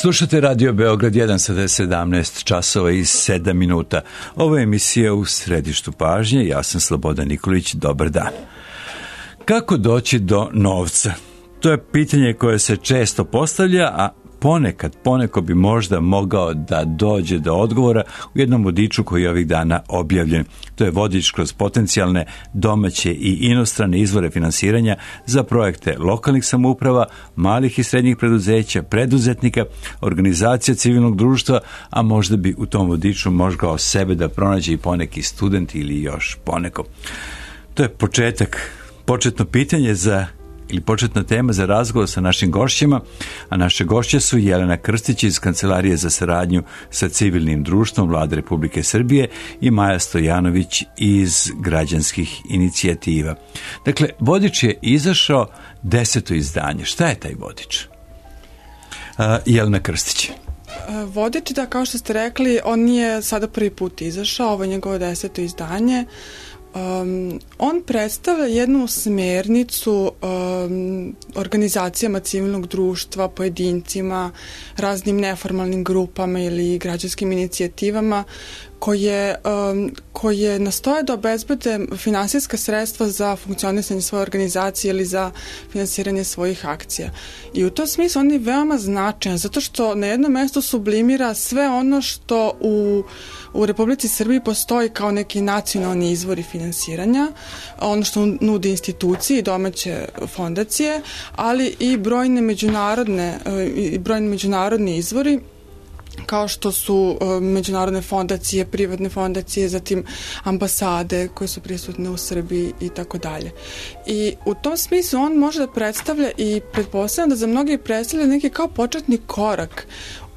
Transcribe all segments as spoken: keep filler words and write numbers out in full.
Slušate Radio Beograd jedan, sada je sedamnaest časova i sedam minuta. Ovo je emisija U središtu pažnje, ja sam Slobodan Nikolić, dobar dan. Kako doći do novca? To je pitanje koje se često postavlja, a ponekad, poneko bi možda mogao da dođe do odgovora u jednom vodiču koji je ovih dana objavljen. To je vodič kroz potencijalne domaće i inostrane izvore finansiranja za projekte lokalnih samouprava, malih i srednjih preduzeća, preduzetnika, organizacija civilnog društva, a možda bi u tom vodiču mogao sebe da pronađe i poneki student ili još poneko. To je početak, početno pitanje za ili početna tema za razgovor sa našim gošćima, a naše gošće su Jelena Krstić iz Kancelarije za saradnju sa civilnim društvom Vlade Republike Srbije i Maja Stojanović iz Građanskih inicijativa. Dakle, vodič je izašao, deseto izdanje. Šta je taj vodič? Uh, Jelena Krstić. Vodič, da, kao što ste rekli, on nije sada prvi put izašao, ovo je njegovo deseto izdanje. Um, on predstavlja jednu smernicu um, organizacijama civilnog društva, pojedincima, raznim neformalnim grupama ili građanskim inicijativama koje, um, koje nastoje da obezbede finansijska sredstva za funkcionisanje svoje organizacije ili za finansiranje svojih akcija. I u tom smislu on je veoma značajan, zato što na jednom mestu sublimira sve ono što u U Republici Srbiji postoji kao neki nacionalni izvori finansiranja, ono što nudi institucije i domaće fondacije, ali i brojne međunarodne, i brojne međunarodni izvori, kao što su međunarodne fondacije, privatne fondacije, zatim ambasade koje su prisutne u Srbiji i tako dalje. I u tom smislu on može da predstavlja i pretpostavljam da za mnogi predstavlja neki kao početni korak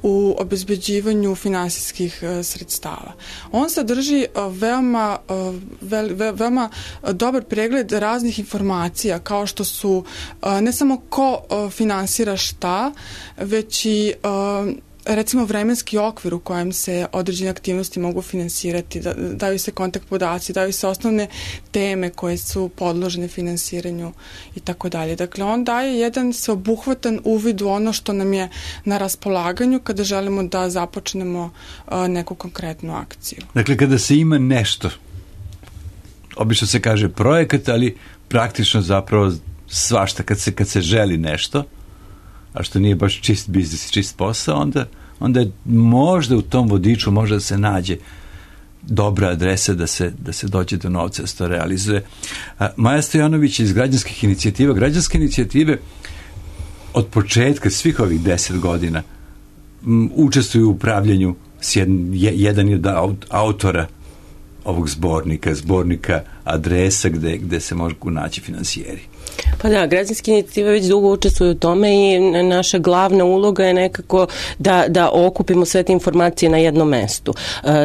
u obezbeđivanju finansijskih uh, sredstava. On sadrži uh, veoma, uh, ve, ve, veoma dobar pregled raznih informacija, kao što su uh, ne samo ko uh, finansira šta, već i uh, recimo vremenski okvir u kojem se određene aktivnosti mogu finansirati, da, daju se kontakt podaci, daju se osnovne teme koje su podložene finansiranju i tako dalje. Dakle, on daje jedan sveobuhvatan uvid u ono što nam je na raspolaganju kada želimo da započnemo uh, neku konkretnu akciju. Dakle, kada se ima nešto, obično se kaže projekat, ali praktično zapravo svašta, kad se, kad se želi nešto, a što nije baš čist biznis, čist posao, onda, onda je možda u tom vodiču možda se nađe dobra adresa da se, da se dođe do novca, da se to realizuje. A, Maja Stojanović iz Građanskih inicijativa. Građanske inicijative od početka svih ovih deset godina m, učestvuju u upravljanju s jedan, jedan od autora ovog zbornika, zbornika adresa gde, gde se mogu naći finansijeri. Pa da, građanske inicijative već dugo učestvuju u tome i naša glavna uloga je nekako da, da okupimo sve te informacije na jednom mestu.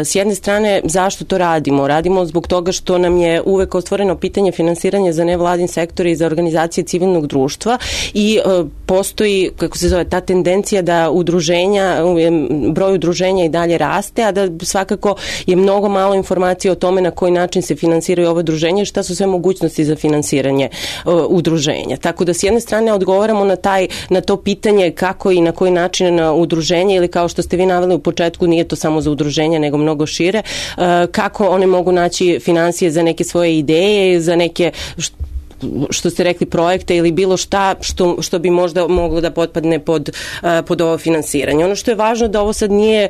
S jedne strane, zašto to radimo? Radimo zbog toga što nam je uvek otvoreno pitanje finansiranja za nevladin sektor i za organizacije civilnog društva i postoji, kako se zove, ta tendencija da udruženja, broj udruženja i dalje raste, a da svakako je mnogo malo informacija o tome na koji način se finansiraju ove udruženja i šta su sve mogućnosti za finansiranje udruženja. Tako da s jedne strane odgovaramo na taj, na to pitanje kako i na koji način udruženje, ili kao što ste vi naveli u početku, nije to samo za udruženja nego mnogo šire, kako one mogu naći finansije za neke svoje ideje, za neke što ste rekli projekte ili bilo šta što, što bi možda moglo da potpadne pod, pod ovo finansiranje. Ono što je važno da ovo sad nije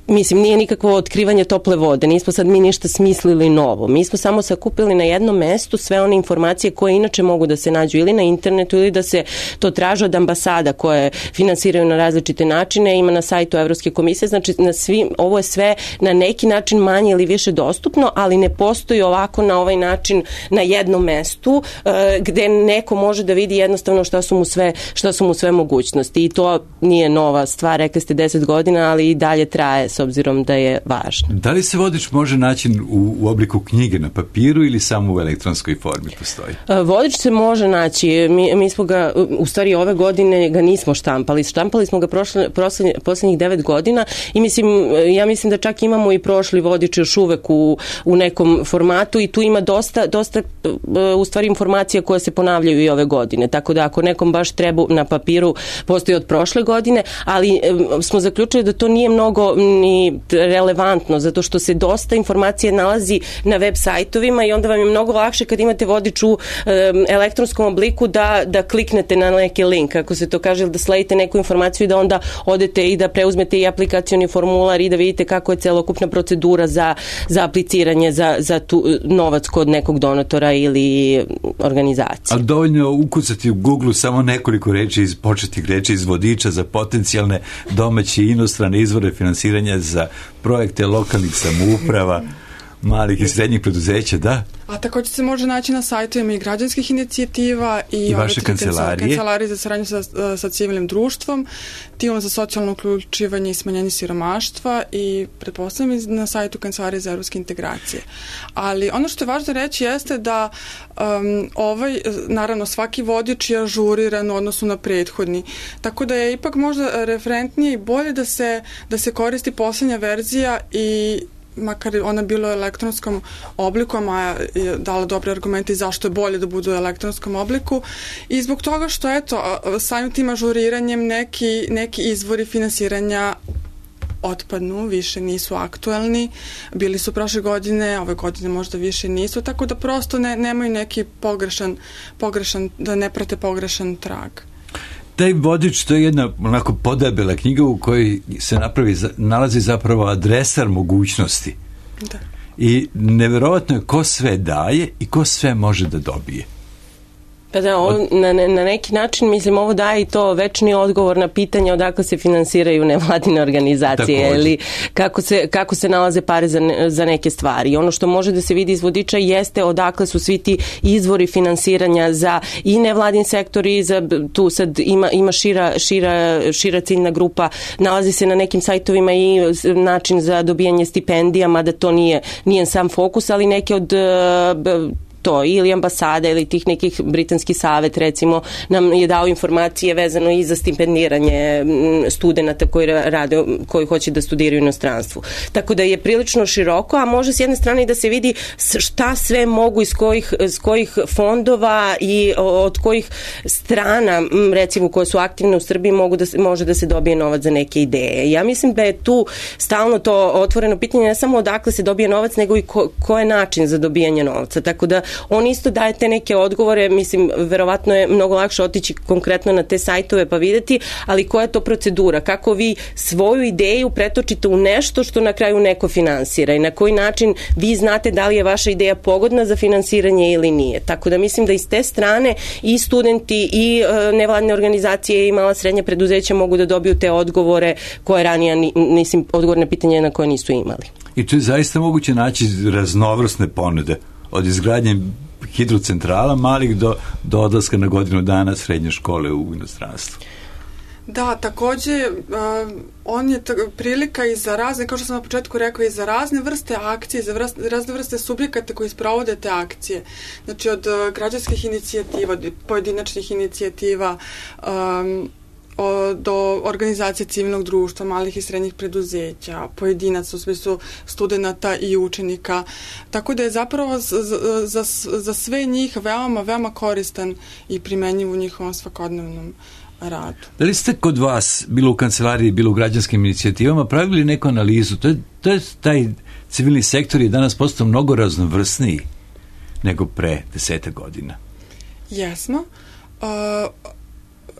Mislim, nije nikakvo otkrivanje tople vode, nismo sad mi ništa smislili novo. Mi smo samo sakupili na jednom mestu sve one informacije koje inače mogu da se nađu ili na internetu ili da se to traže od ambasada koje finansiraju na različite načine, ima na sajtu Evropske komisije, znači na svim, ovo je sve na neki način manje ili više dostupno, ali ne postoji ovako na ovaj način na jednom mestu uh, gde neko može da vidi jednostavno šta su mu sve, šta su mu sve mogućnosti i to nije nova stvar, rekli ste deset godina, ali i dalje traje s obzirom da je važna. Da li se vodič može naći u, u obliku knjige na papiru ili samo u elektronskoj formi postoji? Vodič se može naći. Mi, mi smo ga, u stvari ove godine ga nismo štampali. Štampali smo ga prošle, prošle, posljednjih devet godina i mislim, ja mislim da čak imamo i prošli vodič još uvek u, u nekom formatu i tu ima dosta, dosta u stvari informacija koje se ponavljaju i ove godine. Tako da ako nekom baš treba na papiru, postoji od prošle godine, ali smo zaključili da to nije mnogo ni relevantno, zato što se dosta informacije nalazi na web sajtovima i onda vam je mnogo lakše kad imate vodič u elektronskom obliku da, da kliknete na neki link, ako se to kaže, da sledite neku informaciju i da onda odete i da preuzmete i aplikacioni formular i da vidite kako je celokupna procedura za, za apliciranje za, za tu novac kod nekog donatora ili organizacije. Ali dovoljno ukucati u Google samo nekoliko reči iz početnih reči iz vodiča za potencijalne domaće i inostrane izvore finansiranja za projekte lokalnih samouprava, malih i srednjih preduzeća, da? A također se može naći na sajtovima i građanskih inicijativa i, I vaše kancelarije. kancelarije za saradnju sa, sa civilnim društvom, timom za socijalno uključivanje i smanjenje siromaštva i pretpostavljam na sajtu Kancelarije za evropske integracije. Ali ono što je važno reći jeste da um, ovaj, naravno svaki vodič je ažuriran u odnosu na prethodni, tako da je ipak možda referentnije i bolje da se, da se koristi posljednja verzija i makar ona bila u elektronskom obliku, a je dala dobre argumente zašto je bolje da budu u elektronskom obliku i zbog toga što eto, samim tim ažuriranjem neki, neki izvori finansiranja otpadnu, više nisu aktuelni, bili su prošle godine, ove godine možda više nisu, tako da prosto ne, nemaju neki pogrešan, pogrešan, da ne prate pogrešan trag. Taj vodič, to je jedna onako podebela knjiga u kojoj se napravi, nalazi zapravo adresar mogućnosti. Da. I neverovatno je ko sve daje i ko sve može da dobije. Pa da, on, na, na neki način, mislim, ovo daje i to večni odgovor na pitanje odakle se finansiraju nevladine organizacije. Također. Ili kako se, kako se nalaze pare za, ne, za neke stvari. I ono što može da se vidi iz vodiča jeste odakle su svi ti izvori finansiranja za i nevladin sektor i za, tu sad ima, ima šira, šira, šira ciljna grupa, nalazi se na nekim sajtovima i način za dobijanje stipendija, mada to nije, nije sam fokus, ali neke od to, ili ambasada ili tih nekih britanski savet recimo nam je dao informacije vezano i za stipendiranje studenata koji rade, koji hoće da studiraju u inostranstvu. Tako da je prilično široko, a može s jedne strane i da se vidi šta sve mogu iz kojih, iz kojih fondova i od kojih strana recimo koje su aktivne u Srbiji mogu da se, može da se dobije novac za neke ideje. Ja mislim da je tu stalno to otvoreno pitanje ne samo odakle se dobije novac, nego i ko, ko je način za dobijanje novca. Tako da on isto daje te neke odgovore, mislim, verovatno je mnogo lakše otići konkretno na te sajtove pa videti, ali koja je to procedura? Kako vi svoju ideju pretočite u nešto što na kraju neko finansira i na koji način vi znate da li je vaša ideja pogodna za finansiranje ili nije. Tako da mislim da iz te strane i studenti i e, nevladne organizacije i mala srednja preduzeća mogu da dobiju te odgovore koje ranije, mislim, odgovorne pitanje na koje nisu imali. I tu je zaista moguće naći raznovrsne ponude. Od izgradnje hidrocentrala malih do, do odlaska na godinu dana srednje škole u inostranstvu. Da, takođe uh, on je t- prilika i za razne, kao što sam na početku rekao, i za razne vrste akcije, za vrste, razne vrste subjekata koji sprovode te akcije. Znači od uh, građanskih inicijativa, od pojedinačnih inicijativa, um, O, do organizacije civilnog društva, malih i srednjih preduzeća, pojedinaca u smislu studenata i učenika. Tako da je zapravo za, za, za sve njih veoma, veoma koristan i primenjiv u njihovom svakodnevnom radu. Da li ste kod vas, bilo u kancelariji, bilo u građanskim inicijativama, pravili neku analizu? To je, to je taj civilni sektor je danas postao mnogo raznovrsniji nego pre deseta godina. Jesmo. Uh,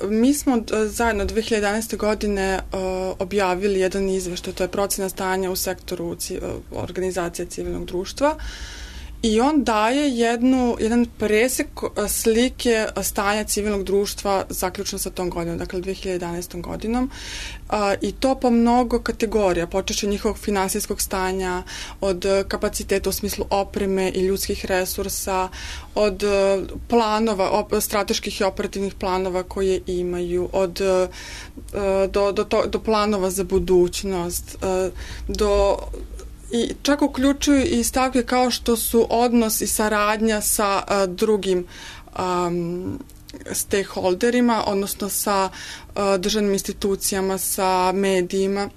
Mi smo zajedno dve hiljade jedanaeste godine uh, objavili jedan izveštaj, to je procena stanja u sektoru ci, uh, organizacije civilnog društva i on daje jednu, jedan presek slike stanja civilnog društva zaključno sa tom godinom, dakle dve hiljade jedanaestom godinom, a, i to po mnogo kategorija, počeši njihovog finansijskog stanja, od kapaciteta u smislu opreme i ljudskih resursa, od planova, op, strateških i operativnih planova koje imaju, od do, do, to, do planova za budućnost, do i čak uključuju i stavke kao što su odnos i saradnja sa a, drugim um, stakeholderima, odnosno sa a, državnim institucijama, sa medijima.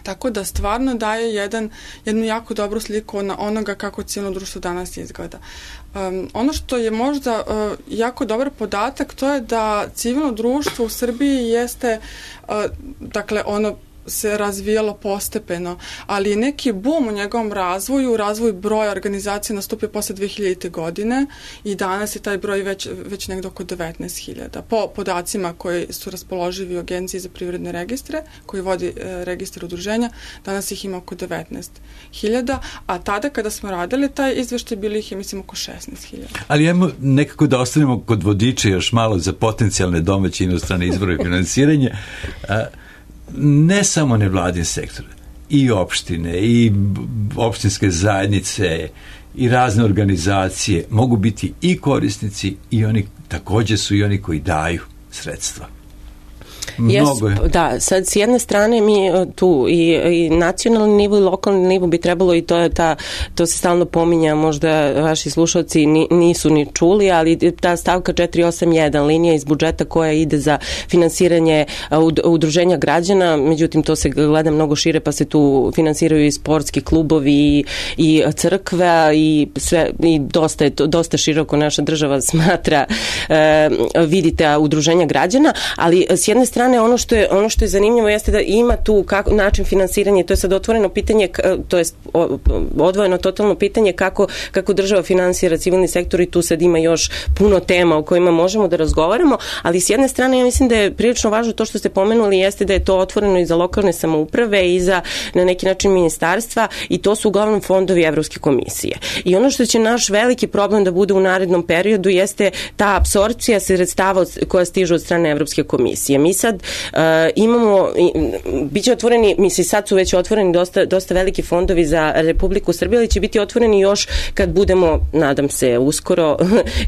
Tako da stvarno daje jedan, jednu jako dobru sliku na onoga kako civilno društvo danas izgleda. Um, ono što je možda uh, jako dobar podatak, to je da civilno društvo u Srbiji jeste, uh, dakle, ono se razvijalo postepeno, ali neki boom u njegovom razvoju, razvoj broja organizacija nastupio posle dve hiljadite godine i danas je taj broj već, već negde oko devetnaest hiljada. Po podacima koji su raspoloživi u Agenciji za privredne registre, koji vodi e, registar udruženja, danas ih ima oko devetnaest hiljada, a tada kada smo radili taj izveštaj, bili ih je, mislim, oko šesnaest hiljada. Ali ajmo nekako da ostanemo kod vodiča još malo za potencijalne domaće inostrane izvore finansiranja. A, ne samo nevladin sektor, i opštine, i opštinske zajednice, i razne organizacije mogu biti i korisnici i oni takođe su i oni koji daju sredstva. Mnogo je. Yes, da, sad s jedne strane mi tu i, i nacionalni nivo i lokalni nivo bi trebalo, i to je ta, to se stalno pominja, možda vaši slušalci ni, nisu ni čuli, ali ta stavka četiri osam jedan, linija iz budžeta koja ide za finansiranje udruženja građana, međutim to se gleda mnogo šire, pa se tu finansiraju i sportski klubovi i, i crkva i sve, i dosta je to, dosta široko naša država smatra, e, vidite, udruženja građana, ali s jedne strane ono što je ono što je zanimljivo jeste da ima tu kako, način finansiranja, to je sad otvoreno pitanje, to jest odvojeno totalno pitanje kako, kako država finansira civilni sektor, i tu sad ima još puno tema o kojima možemo da razgovaramo, ali s jedne strane ja mislim da je prilično važno to što ste pomenuli, jeste da je to otvoreno i za lokalne samouprave i za na neki način ministarstva, i to su uglavnom fondovi Evropske komisije. I ono što će naš veliki problem da bude u narednom periodu jeste ta apsorpcija sredstava koja stižu od strane Evropske komisije. Mi sad uh, imamo, bit će otvoreni, misli sad su već otvoreni dosta, dosta veliki fondovi za Republiku Srbiju, ali će biti otvoreni još kad budemo, nadam se, uskoro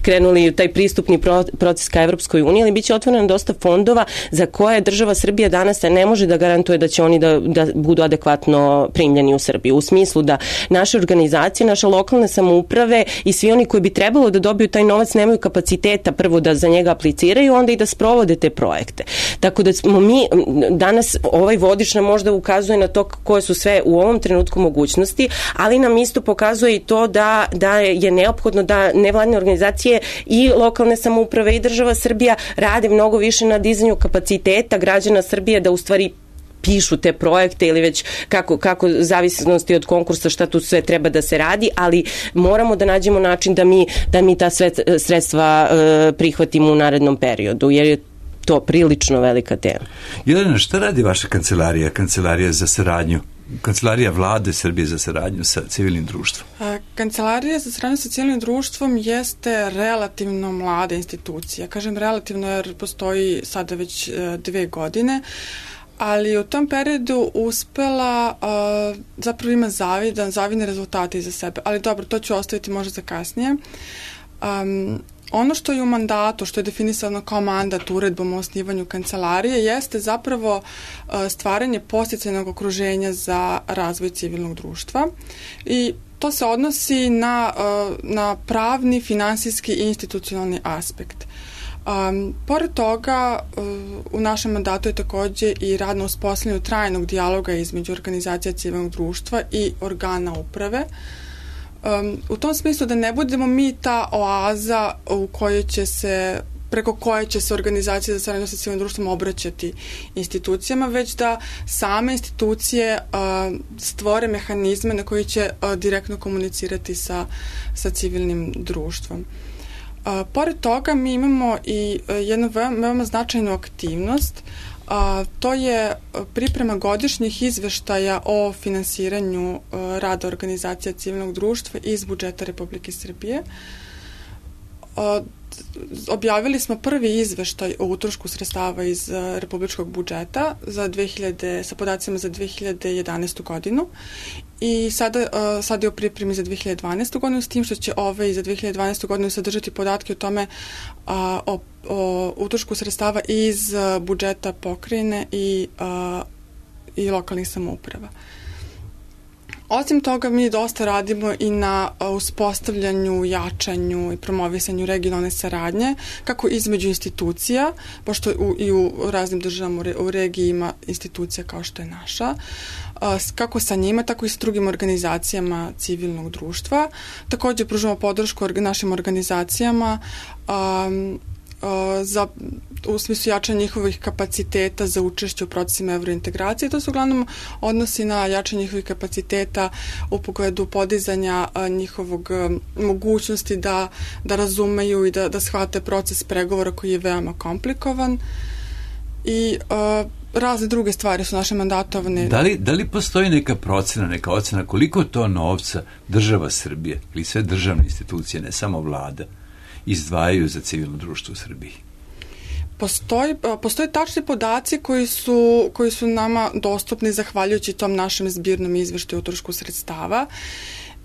krenuli u taj pristupni proces ka Evropskoj uniji, ali bit će otvoreno dosta fondova za koje država Srbija danas ne može da garantuje da će oni da, da budu adekvatno primljeni u Srbiju. U smislu da naše organizacije, naše lokalne samouprave i svi oni koji bi trebalo da dobiju taj novac nemaju kapaciteta prvo da za njega apliciraju, onda i da sprovode te projekte. Tako da smo mi danas, ovaj vodič nam možda ukazuje na to koje su sve u ovom trenutku mogućnosti, ali nam isto pokazuje i to da, da je neophodno da nevladine organizacije i lokalne samouprave i država Srbija rade mnogo više na dizanju kapaciteta građana Srbije da u stvari pišu te projekte ili već kako, kako zavisnosti od konkursa šta tu sve treba da se radi, ali moramo da nađemo način da mi, da mi ta sve sredstva e, prihvatimo u narednom periodu, jer je to prilično velika tema. Jelena, šta radi vaša kancelarija, kancelarija za saradnju, kancelarija vlade Srbije za saradnju sa civilnim društvom? Kancelarija za saradnju sa civilnim društvom jeste relativno mlada institucija. Kažem relativno jer postoji sada već dve godine, ali u tom periodu uspela, uh, zapravo ima zavidan, zavidne rezultate iza sebe. Ali dobro, to ću ostaviti možda za kasnije. Um, ono što je u mandatu, što je definisano kao mandat uredbom o osnivanju kancelarije, jeste zapravo uh, stvaranje podsticajnog okruženja za razvoj civilnog društva. I to se odnosi na, uh, na pravni, finansijski i institucionalni aspekt. Um, pored toga, uh, u našem mandatu je takođe i rad na uspostavljanju trajnog dijaloga između organizacija civilnog društva i organa uprave. Um, u tom smislu da ne budemo mi ta oaza u kojoj će se, preko koje će se organizacije za saradnju sa civilnim društvom obraćati institucijama, već da same institucije uh, stvore mehanizme na koji će uh, direktno komunicirati sa, sa civilnim društvom. Uh, pored toga mi imamo i uh, jednu veoma, veoma značajnu aktivnost. Uh, A, to je priprema godišnjih izveštaja o finansiranju a, rada organizacija civilnog društva iz budžeta Republike Srbije. A, objavili smo prvi izveštaj o utrošku sredstava iz a, republičkog budžeta za dve hiljade, sa podacima za dve hiljade jedanaestu godinu i sada, a, sada je u pripremi za dve hiljade dvanaestu godinu, s tim što će ovaj za dve hiljade dvanaestu godinu sadržati podatke o tome a, o, o utrošku sredstava iz a, budžeta pokrajine i, a, i lokalnih samouprava. Osim toga, mi dosta radimo i na uspostavljanju, jačanju i promovisanju regionalne saradnje, kako između institucija, pošto u, i u raznim državama u regiji ima institucija kao što je naša, kako sa njima, tako i sa drugim organizacijama civilnog društva. Takođe, pružamo podršku našim organizacijama um, za, u smislu jačanja njihovih kapaciteta za učešće u procesima evrointegracije. To se uglavnom odnosi na jačanje njihovih kapaciteta u pogledu podizanja a, njihovog a, mogućnosti da, da razumeju i da, da shvate proces pregovora koji je veoma komplikovan i a, razne druge stvari su naše mandatovane. Da li, da li postoji neka procena, neka ocena koliko to novca država Srbije ili sve državne institucije, ne samo vlada, izdvajaju za civilno društvo u Srbiji? Postoji, postoje tačni podaci koji su, koji su nama dostupni zahvaljujući tom našem zbirnom izveštaju o utrošku sredstava.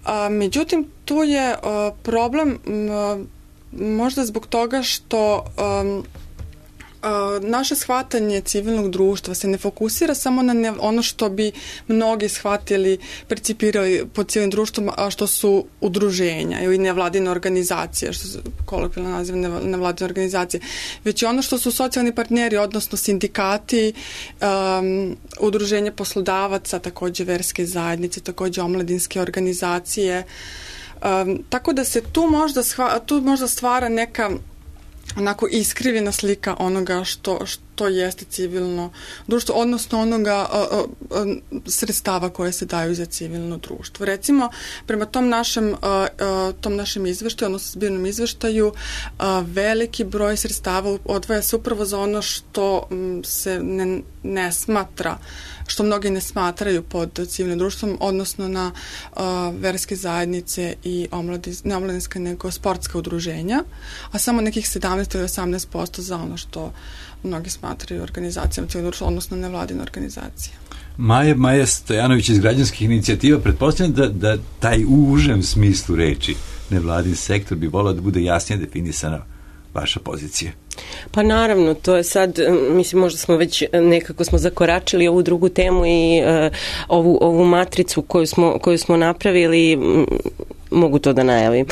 A, međutim, tu je a, problem a, možda zbog toga što a, a, naše shvatanje civilnog društva se ne fokusira samo na ne, ono što bi mnogi shvatili, percipirali pod civilnim društvom, a što su udruženja ili nevladine organizacije, što su kolokvijalno naziv nevladine organizacije, već i ono što su socijalni partneri, odnosno sindikati, um, udruženje poslodavaca, takođe verske zajednice, takođe omladinske organizacije. Um, tako da se tu možda, shva, tu možda stvara neka onako iskrivljena slika onoga što, što jeste civilno društvo, odnosno onoga a, a, a, sredstava koje se daju za civilno društvo. Recimo, prema tom našem, a, a, tom našem izveštaju, odnosno zbirnom izveštaju, a, veliki broj sredstava odvaja se upravo za ono što m, se ne, ne smatra, što mnogi ne smatraju pod civilnim društvom, odnosno na uh, verske zajednice i omladiz, ne omladinska, nego sportska udruženja, a samo nekih sedamnaest ili osamnaest posto za ono što mnogi smatraju organizacijama civilnog društva, odnosno nevladine organizacije. Maja, Maja Stojanović iz građanskih inicijativa, pretpostavljam da, da taj u užem smislu reči nevladin sektor bi volao da bude jasnije definisana vaša pozicija. Pa naravno, to je sad, mislim, možda smo već nekako smo zakoračili ovu drugu temu i uh, ovu, ovu matricu koju smo, koju smo napravili, mogu to da najavim,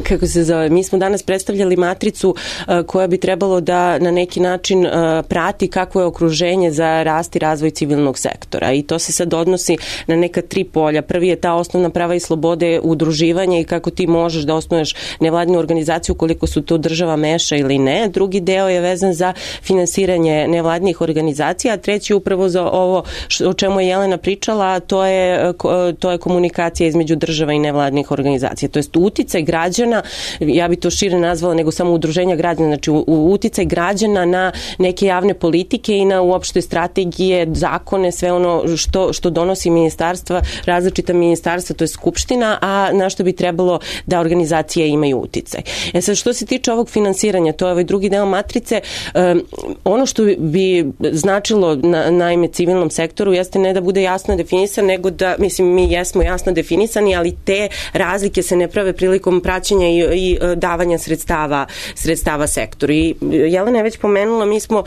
kako se zove. Mi smo danas predstavljali matricu uh, koja bi trebalo da na neki način uh, prati kakvo je okruženje za rast i razvoj civilnog sektora i to se sad odnosi na neka tri polja. Prvi je ta osnovna prava i slobode udruživanja i kako ti možeš da osnuješ nevladinu organizaciju koliko su to država meša ili ne. Drugi deo je vezan za finansiranje nevladnih organizacija, a treći upravo za ovo o čemu je Jelena pričala, to je, to je komunikacija između država i nevladnih organizacija. To jest uticaj građana, ja bi to šire nazvala nego samo udruženja građana, znači uticaj građana na neke javne politike i na uopšte strategije, zakone, sve ono što, što donosi ministarstva, različita ministarstva, to je skupština, a na što bi trebalo da organizacije imaju uticaj. E sad, što se tiče ovog finansiranja, to je ovaj drugi deo matrice, um, ono što bi značilo na, naime civilnom sektoru jeste ne da bude jasno definisan, nego da, mislim, mi jesmo jasno definisani, ali te razlike se ne prave prilikom praćenja i, i davanja sredstava, sredstava sektoru. I Jelena je već pomenula, mi smo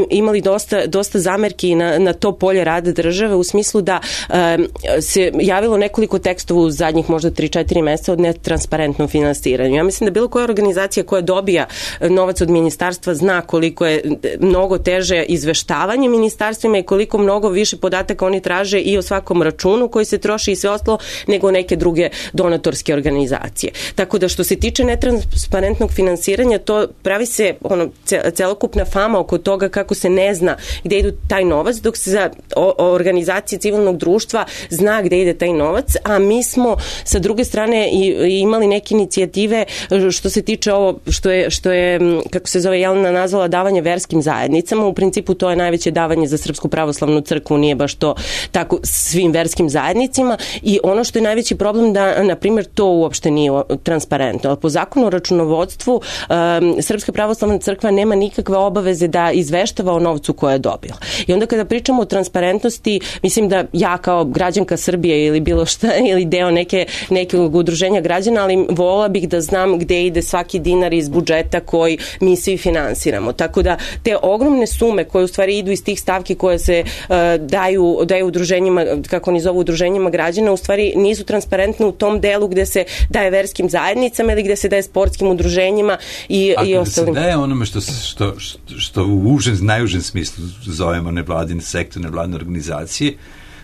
imali dosta, dosta zamerki na, na to polje rada države u smislu da um, se javilo nekoliko tekstova u zadnjih možda tri četiri meseca od netransparentnom finansiranju. Ja mislim da bilo koja organizacija koja dobija novac od ministarstva zna koliko je mnogo teže izveštavanje ministarstvima i koliko mnogo više podataka oni traže i o svakom računu koji se troši i sve ostalo nego neke druge donatorske organizacije. Tako da što se tiče netransparentnog finansiranja, to pravi se ono, celokupna fama oko toga kako se ne zna gde idu taj novac, dok se za o, o organizacije civilnog društva zna gde ide taj novac, a mi smo sa druge strane i, i imali neke inicijative što se tiče ovo što je, što je kako se zove Jelena nazvala davanje verskim zajednicama. U principu to je najveće davanje za Srpsku pravoslavnu crkvu, nije baš to tako svim verskim zajednicima i ono što je najveći problem da, na primjer, to uopšte nije transparentno. Ali po zakonu o računovodstvu um, Srpska pravoslavna crkva nema nikakve obaveze da izveštava o novcu koje je dobila. I onda kada pričamo o transparentnosti, mislim da ja kao građanka Srbije ili bilo šta, ili deo neke, nekog udruženja građana, ali vola bih da znam gde ide svaki dinar iz budžeta koji mi svi finansiramo. Tako da te ogromne sume koje u stvari idu iz tih stavki koje se uh, daju, daju udruženjima, kako oni zovu udruženjima građana, u stvari nisu transparentne u tom delu gde se daje verskim zajednicama ili gde se daje sportskim udruženjima i, a i ostalim. A kada se daje onome što, što, što, što u užem, najužem smislu zovemo nevladine sektor, nevladine organizacije,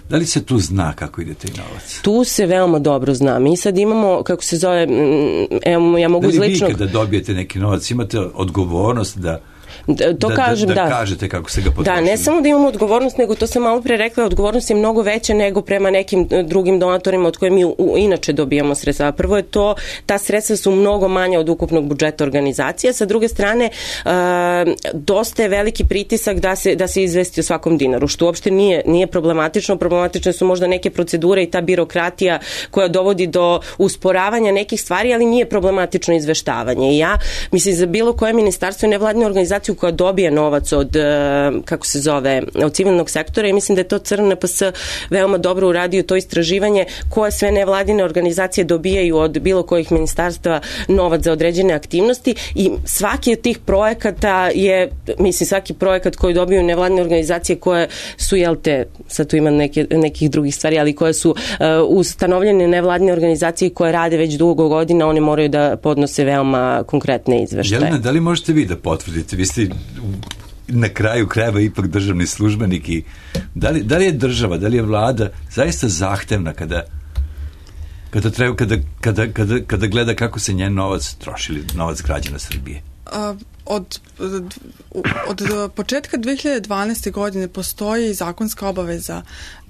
da li se tu zna kako ide taj novac? Tu se veoma dobro zna. Mi sad imamo, kako se zove, evo, ja mogu iz ličnog... Da li vi kada dobijete neki novac, imate odgovornost da Da, to da, kažem, da, da, da. kažete kako se ga potrošili. Da, ne samo da imamo odgovornost, nego to sam malo pre rekla, odgovornost je mnogo veća nego prema nekim drugim donatorima od koje mi u, u, inače dobijamo sredstva. Prvo je to, ta sredstva su mnogo manja od ukupnog budžeta organizacije. Sa druge strane, uh, dosta je veliki pritisak da se, da se izvesti o svakom dinaru, što uopšte nije, nije problematično. Problematične su možda neke procedure i ta birokratija koja dovodi do usporavanja nekih stvari, ali nije problematično izveštavanje. I ja, mislim, za bilo koje ministarstvo i nevladine organizacije koja dobije novac od, kako se zove, od civilnog sektora i mislim da je to C R N P S veoma dobro uradio to istraživanje koje sve nevladine organizacije dobijaju od bilo kojih ministarstva novac za određene aktivnosti i svaki od tih projekata je, mislim, svaki projekat koji dobiju nevladine organizacije koje su, jel te, sad tu ima neke, nekih drugih stvari, ali koje su uh, ustanovljene nevladine organizacije koje rade već dugo godina, one moraju da podnose veoma konkretne izveštaje. Jelena, da li možete vi da potvrdite? Vi ste na kraju krajeva ipak državni službenik i da li, da li je država, da li je vlada zaista zahtevna kada kada treba, kada, kada, kada, kada gleda kako se njen novac troši, novac građana Srbije? A, od, od, od početka dve hiljade dvanaeste. godine postoji zakonska obaveza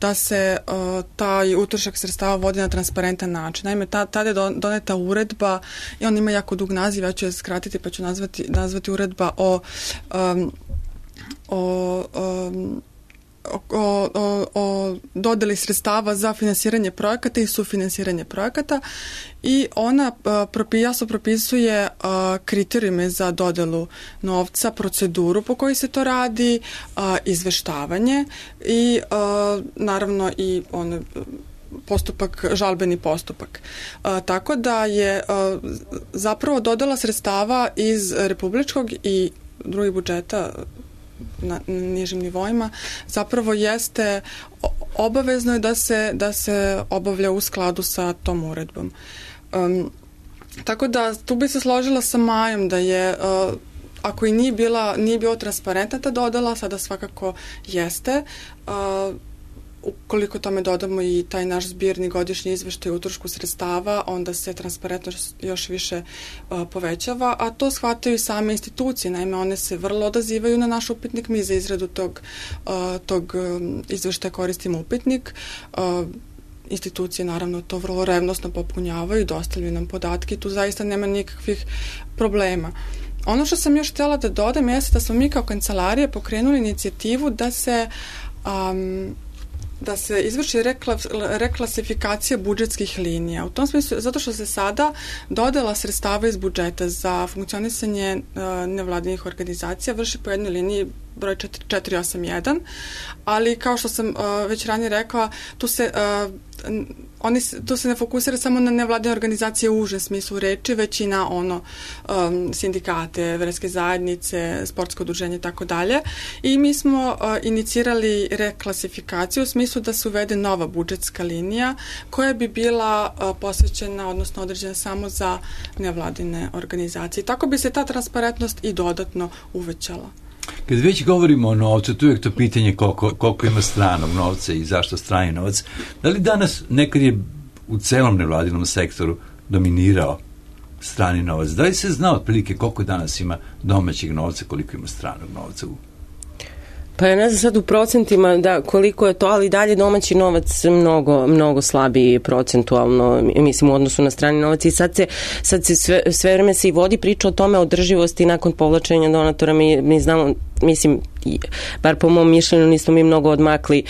da se uh, taj utrošak sredstava vodi na transparentan način. Naime, ta, tada je doneta uredba i on ima jako dug naziv, ja ću je skratiti pa ću nazvati, nazvati uredba o um, o um, O, o, o dodeli sredstava za finansiranje projekata i sufinansiranje projekata i ona uh, jasno propisuje uh, kriterijume za dodelu novca, proceduru po kojoj se to radi, uh, izveštavanje i uh, naravno i on postupak, žalbeni postupak. Uh, tako da je uh, zapravo dodela sredstava iz republičkog i drugih budžeta na nižim nivoima zapravo jeste obavezno je da se, da se obavlja u skladu sa tom uredbom. Um, tako da tu bi se složila sa Majom da je uh, ako i nije bila, nije bio transparentna ta dodala, sada svakako jeste. Uh, ukoliko tome dodamo i taj naš zbirni godišnji izveštaj o utrošku sredstava, onda se transparentnost još više uh, povećava, a to shvataju i same institucije. Naime, one se vrlo odazivaju na naš upitnik. Mi za izradu tog, uh, tog um, izveštaja koristimo upitnik. Uh, institucije naravno to vrlo revnosno popunjavaju i dostavljaju nam podatke. Tu zaista nema nikakvih problema. Ono što sam još htjela da dodam jeste da smo mi kao kancelarija pokrenuli inicijativu da se um, da se izvrši rekla, reklasifikacija budžetskih linija. U tom smislu, zato što se sada dodela sredstava iz budžeta za funkcionisanje uh, nevladinih organizacija vrši po jednoj liniji broj četiri osam jedan, ali kao što sam uh, već ranije rekla, tu se uh, oni tu se ne fokusira samo na nevladine organizacije u užem smislu reči, već i na ono um, sindikate, verske zajednice, sportsko udruženje i tako dalje. I mi smo uh, inicirali reklasifikaciju u smislu da se uvede nova budžetska linija koja bi bila uh, posvećena, odnosno određena samo za nevladine organizacije. Tako bi se ta transparentnost i dodatno uvećala. Kad već govorimo o novcu, tu je to pitanje koliko, koliko ima stranog novca i zašto strani novac. Da li danas nekad je u celom nevladinom sektoru dominirao strani novac. Da li se zna otprilike koliko danas ima domaćeg novca, koliko ima stranog novca u... Pa ja ne znam sad u procentima da koliko je to, ali dalje domaći novac mnogo, mnogo slabiji procentualno, mislim, u odnosu na strani novac i sad se, sad se sve, sve vreme se i vodi priča o tome održivosti nakon povlačenja donatora. Mi, mi znamo, mislim, bar po mom mišljenju nismo mi mnogo odmakli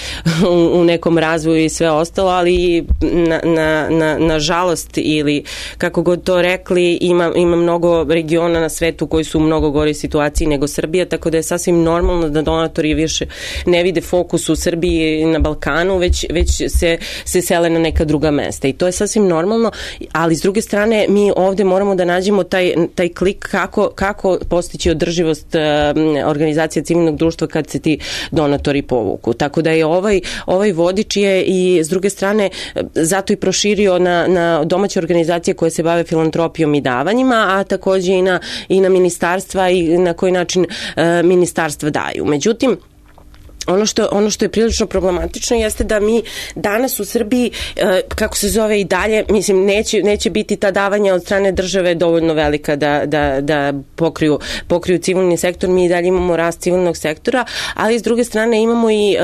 u, u nekom razvoju i sve ostalo, ali na, na, na, na žalost ili kako god to rekli, ima, ima mnogo regiona na svetu koji su u mnogo goroj situaciji nego Srbija, tako da je sasvim normalno da donatori više ne vide fokus u Srbiji i na Balkanu, već, već se, se sele na neka druga mesta i to je sasvim normalno, ali s druge strane mi ovde moramo da nađemo taj, taj klik kako, kako postići održivost uh, organizacije civilnog društva kad se ti donatori povuku. Tako da je ovaj, ovaj vodič je i s druge strane zato i proširio na, na domaće organizacije koje se bave filantropijom i davanjima, a takođe i na, i na ministarstva i na koji način uh, ministarstva daju. Međutim, Ono što, ono što je prilično problematično jeste da mi danas u Srbiji, kako se zove i dalje, mislim, neće, neće biti ta davanja od strane države dovoljno velika da, da, da pokriju, pokriju civilni sektor. Mi i dalje imamo rast civilnog sektora, ali s druge strane imamo i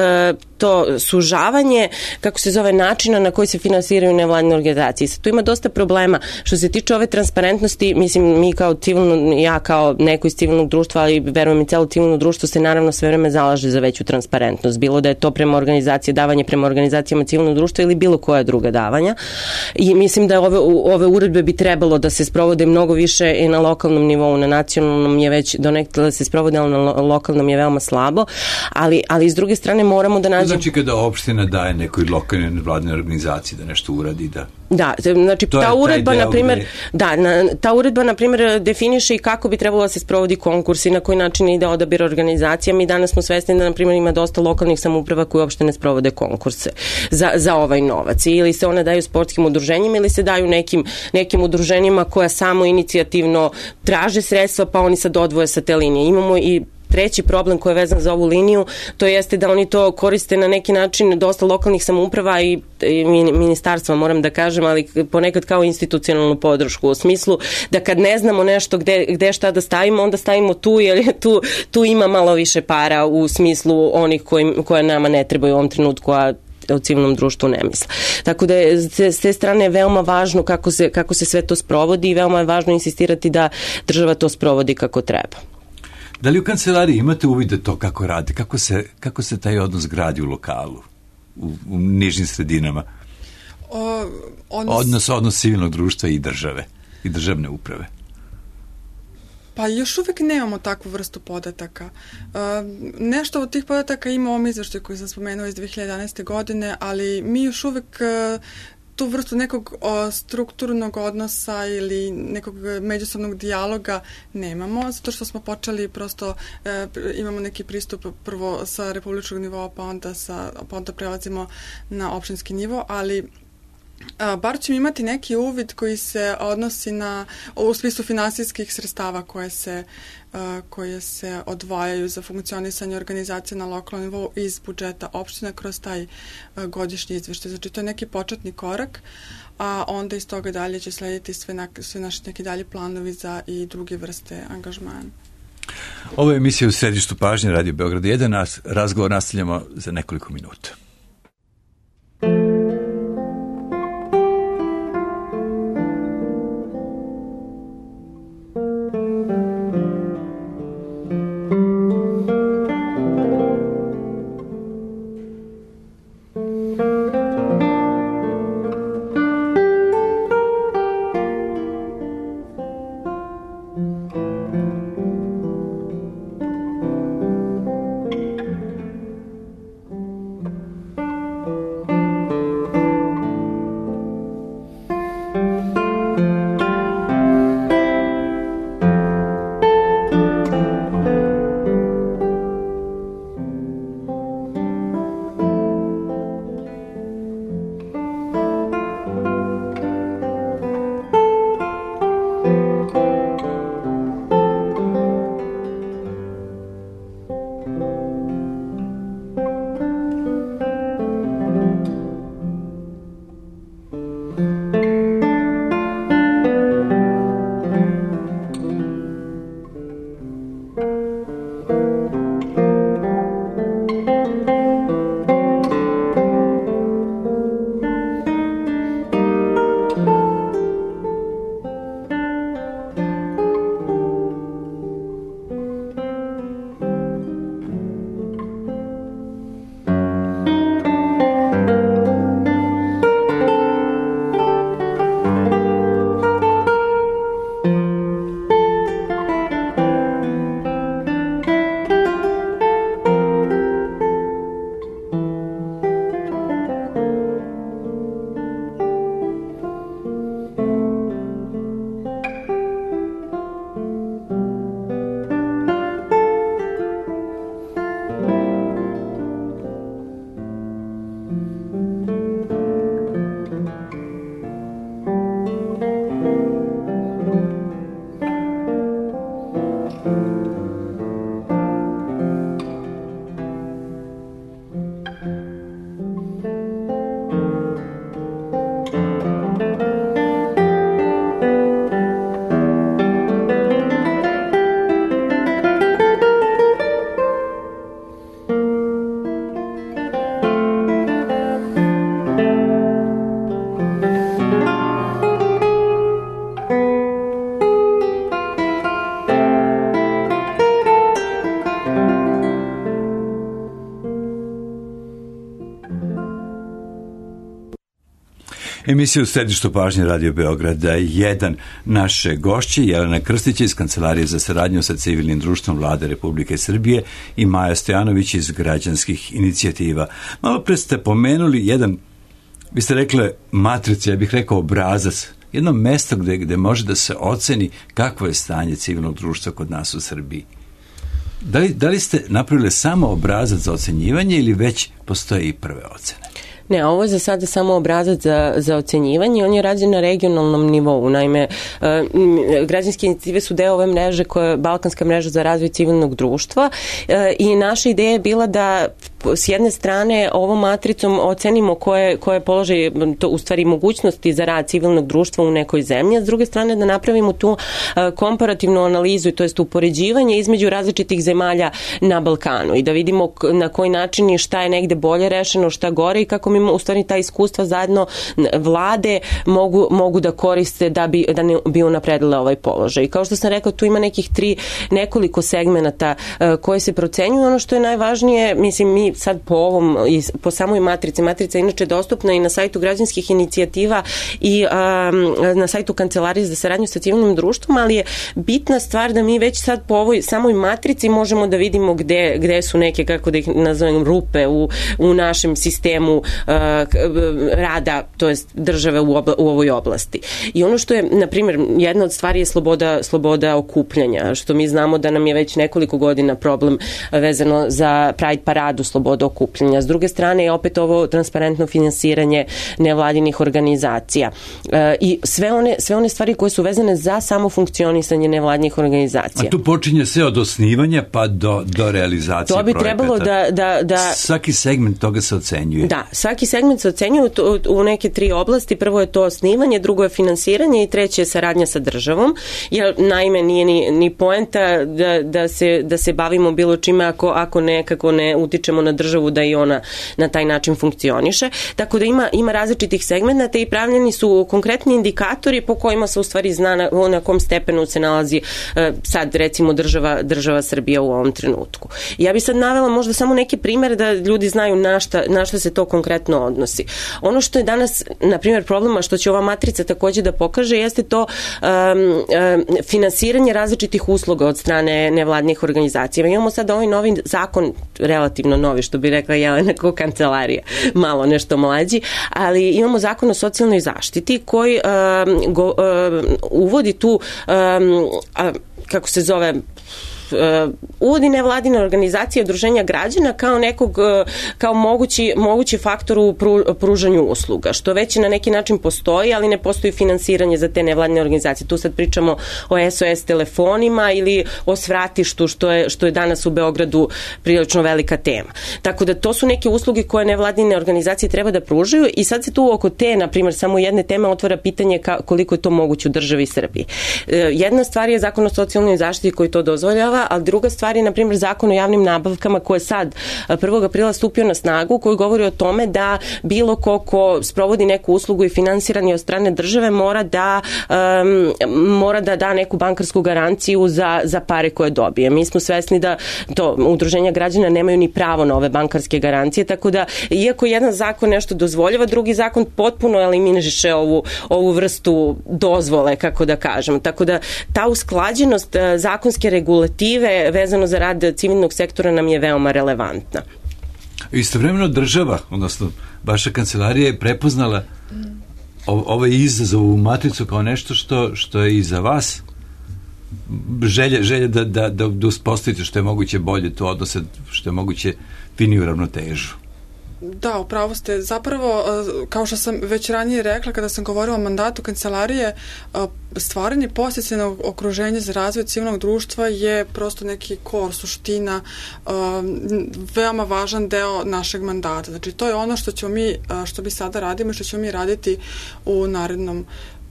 to sužavanje, kako se zove, načina na koji se finansiraju nevladine organizacije. Sad tu ima dosta problema. Što se tiče ove transparentnosti, mislim, mi kao civilno, ja kao neko iz civilnog društva, ali verujem i celo civilno društvo se naravno sve vreme zalaže za veću transparentnost. Bilo da je to prema organizacije, davanje prema organizacijama civilnog društva ili bilo koja druga davanja. I mislim da ove, ove uredbe bi trebalo da se sprovode mnogo više i na lokalnom nivou, na nacionalnom je već donekle da se sprovode, ali na lokalnom je veoma slabo. Ali, ali s druge strane moramo da nađemo... Znači kada opština daje nekoj lokalnoj nevladinoj organizaciji da nešto uradi, da... Da, znači ta uredba, na primjer, gde... da, na, ta uredba, na primjer, definiše i kako bi trebalo da se sprovodi konkurs i na koji način ide odabir organizacija. Mi danas smo svesni da, na primjer, ima dosta lokalnih samouprava koji uopšte ne sprovode konkurse za, za ovaj novac. Ili se one daju sportskim udruženjima ili se daju nekim, nekim udruženjima koja samo inicijativno traže sredstva, pa oni sad odvoje sa te linije. Imamo i treći problem koji je vezan za ovu liniju, to jeste da oni to koriste na neki način, dosta lokalnih samouprava i, i ministarstva, moram da kažem, ali ponekad kao institucionalnu podršku, u smislu da kad ne znamo nešto gde, gde šta da stavimo, onda stavimo tu, jer tu, tu ima malo više para u smislu onih koji, koje nama ne trebaju u ovom trenutku, a u civilnom društvu ne misle. Tako da je s te strane veoma važno kako se, kako se sve to sprovodi i veoma je važno insistirati da država to sprovodi kako treba. Da li u kancelariji imate uvide to kako radi, kako se, kako se taj odnos gradi u lokalu, u, u nižim sredinama? O, odnos... odnos, odnos civilnog društva i države, i državne uprave. Pa još uvek nemamo takvu vrstu podataka. Uh, nešto od tih podataka ima u ovom izveštaju koji sam spomenula iz dve hiljade jedanaeste. godine, ali mi još uvek uh, tu vrstu nekog o, strukturnog odnosa ili nekog međusobnog dijaloga nemamo, zato što smo počeli prosto, e, imamo neki pristup prvo sa republičkog nivoa, pa onda, sa, pa onda prelazimo na opštinski nivo, ali a, bar ćemo imati neki uvid koji se odnosi na, u smislu finansijskih sredstava koje se, a, koje se odvajaju za funkcionisanje organizacije na lokalnom nivou iz budžeta opština kroz taj a, godišnji izveštaj. Znači, to je neki početni korak, a onda iz toga dalje će slediti sve, na, sve naši neki dalji planovi za i druge vrste angažmana. Ovo je emisija u središtu pažnje Radio Beograd jedan, nas, razgovor nastavljamo za nekoliko minuta. Emisija u središtu pažnje Radio Beograda jedan. Naše gošće Jelena Krstić iz Kancelarije za saradnju sa civilnim društvom Vlade Republike Srbije i Maja Stojanović iz građanskih inicijativa. Malo pre ste pomenuli jedan, vi ste rekli matrica, ja bih rekao obrazac, jedno mesto gde, gde može da se oceni kakvo je stanje civilnog društva kod nas u Srbiji. Da li, da li ste napravili samo obrazac za ocenjivanje ili već postoje i prve ocene? Ne, ovo je za sada samo obrazac za, za ocenjivanje, on je rađen na regionalnom nivou. Naime, građanske inicijative su deo ove mreže koja je Balkanska mreža za razvoj civilnog društva i naša ideja je bila da s jedne strane ovom matricom ocenimo koje, koje položaj, to u stvari mogućnosti za rad civilnog društva u nekoj zemlji, a s druge strane da napravimo tu komparativnu analizu, to jest upoređivanje između različitih zemalja na Balkanu i da vidimo na koji način i šta je negde bolje rešeno, šta gore i kako mi u stvari ta iskustva zajedno vlade mogu, mogu da koriste da bi, da ne bi unapredile ovaj položaj. I kao što sam rekla, tu ima nekih tri, nekoliko segmenata koje se procenjuju. Ono što je najvažnije, mislim, mi sad po ovom, po samoj matrici, matrica je inače dostupna i na sajtu građanskih inicijativa i um, na sajtu Kancelarije za saradnju sa civilnim društvom, ali je bitna stvar da mi već sad po ovoj samoj matrici možemo da vidimo gde, gde su neke, kako da ih nazovem, rupe u, u našem sistemu uh, rada, to jest države u, obla, u ovoj oblasti. I ono što je, na primjer, jedna od stvari je sloboda, sloboda okupljanja, što mi znamo da nam je već nekoliko godina problem vezano za Pride paradu, sloboda okupljanja. S druge strane je opet ovo transparentno finansiranje nevladinih organizacija e, i sve one, sve one stvari koje su vezane za samo funkcionisanje nevladinih organizacija. A tu počinje sve od osnivanja pa do, do realizacije projekata. To bi projekata. trebalo da, da, da... Svaki segment toga se ocenjuje. Da, svaki segment se ocenjuje u neke tri oblasti. Prvo je to osnivanje, drugo je finansiranje i treće je saradnja sa državom. Jer naime nije ni, ni poenta da, da, se, da se bavimo bilo čime ako, ako nekako ne utičemo na državu da i ona na taj način funkcioniše. Tako da ima, ima različitih segmenta i pravljeni su konkretni indikatori po kojima se u stvari zna na, na kom stepenu se nalazi uh, sad recimo država, država Srbija u ovom trenutku. Ja bi sad navela možda samo neki primjer da ljudi znaju na šta, na šta se to konkretno odnosi. Ono što je danas, na primjer, problema što će ova matrica takođe da pokaže jeste to um, um, finansiranje različitih usluga od strane nevladnih organizacija. Imamo sad ovaj novi zakon, relativno novi, što bi rekla Jelena kao kancelarija, malo nešto mlađi, ali imamo zakon o socijalnoj zaštiti koji um, go, um, uvodi tu um, a, kako se zove Uh, uvodi nevladine organizacije udruženja građana kao nekog uh, kao mogući, mogući faktor u pru, pružanju usluga, što već na neki način postoji, ali ne postoji finansiranje za te nevladine organizacije. Tu sad pričamo o S O S telefonima ili o svratištu, što je, što je danas u Beogradu prilično velika tema. Tako da to su neke usluge koje nevladine organizacije treba da pružaju i sad se tu oko te, na primjer, samo jedne teme otvara pitanje ka, koliko je to moguće u državi Srbiji. Uh, jedna stvar je zakon o socijalnoj zaštiti koji to dozvoljava, ali druga stvar je, na primjer, zakon o javnim nabavkama koji je sad prvog aprila stupio na snagu, koji govori o tome da bilo ko ko sprovodi neku uslugu i finansiran je od strane države mora da um, mora da da neku bankarsku garanciju za, za pare koje dobije. Mi smo svesni da to udruženja građana nemaju ni pravo na ove bankarske garancije, tako da iako jedan zakon nešto dozvoljava, drugi zakon potpuno eliminiše ovu, ovu vrstu dozvole, kako da kažem. Tako da ta usklađenost zakonske regulative vezano za rad civilnog sektora nam je veoma relevantna. Istovremeno država, odnosno vaša kancelarija je prepoznala ovaj izazov u matricu kao nešto što, što je i za vas želje, želje da, da, da uspostavite što je moguće bolje to odnose, što je moguće finiju ravnotežu. Da, upravo ste. Zapravo, kao što sam već ranije rekla kada sam govorila o mandatu kancelarije, stvaranje podsticajnog okruženja za razvoj civilnog društva je prosto neki kor, suština, veoma važan deo našeg mandata. Znači, to je ono što ćemo mi, što mi sada radimo i što ćemo mi raditi u narednom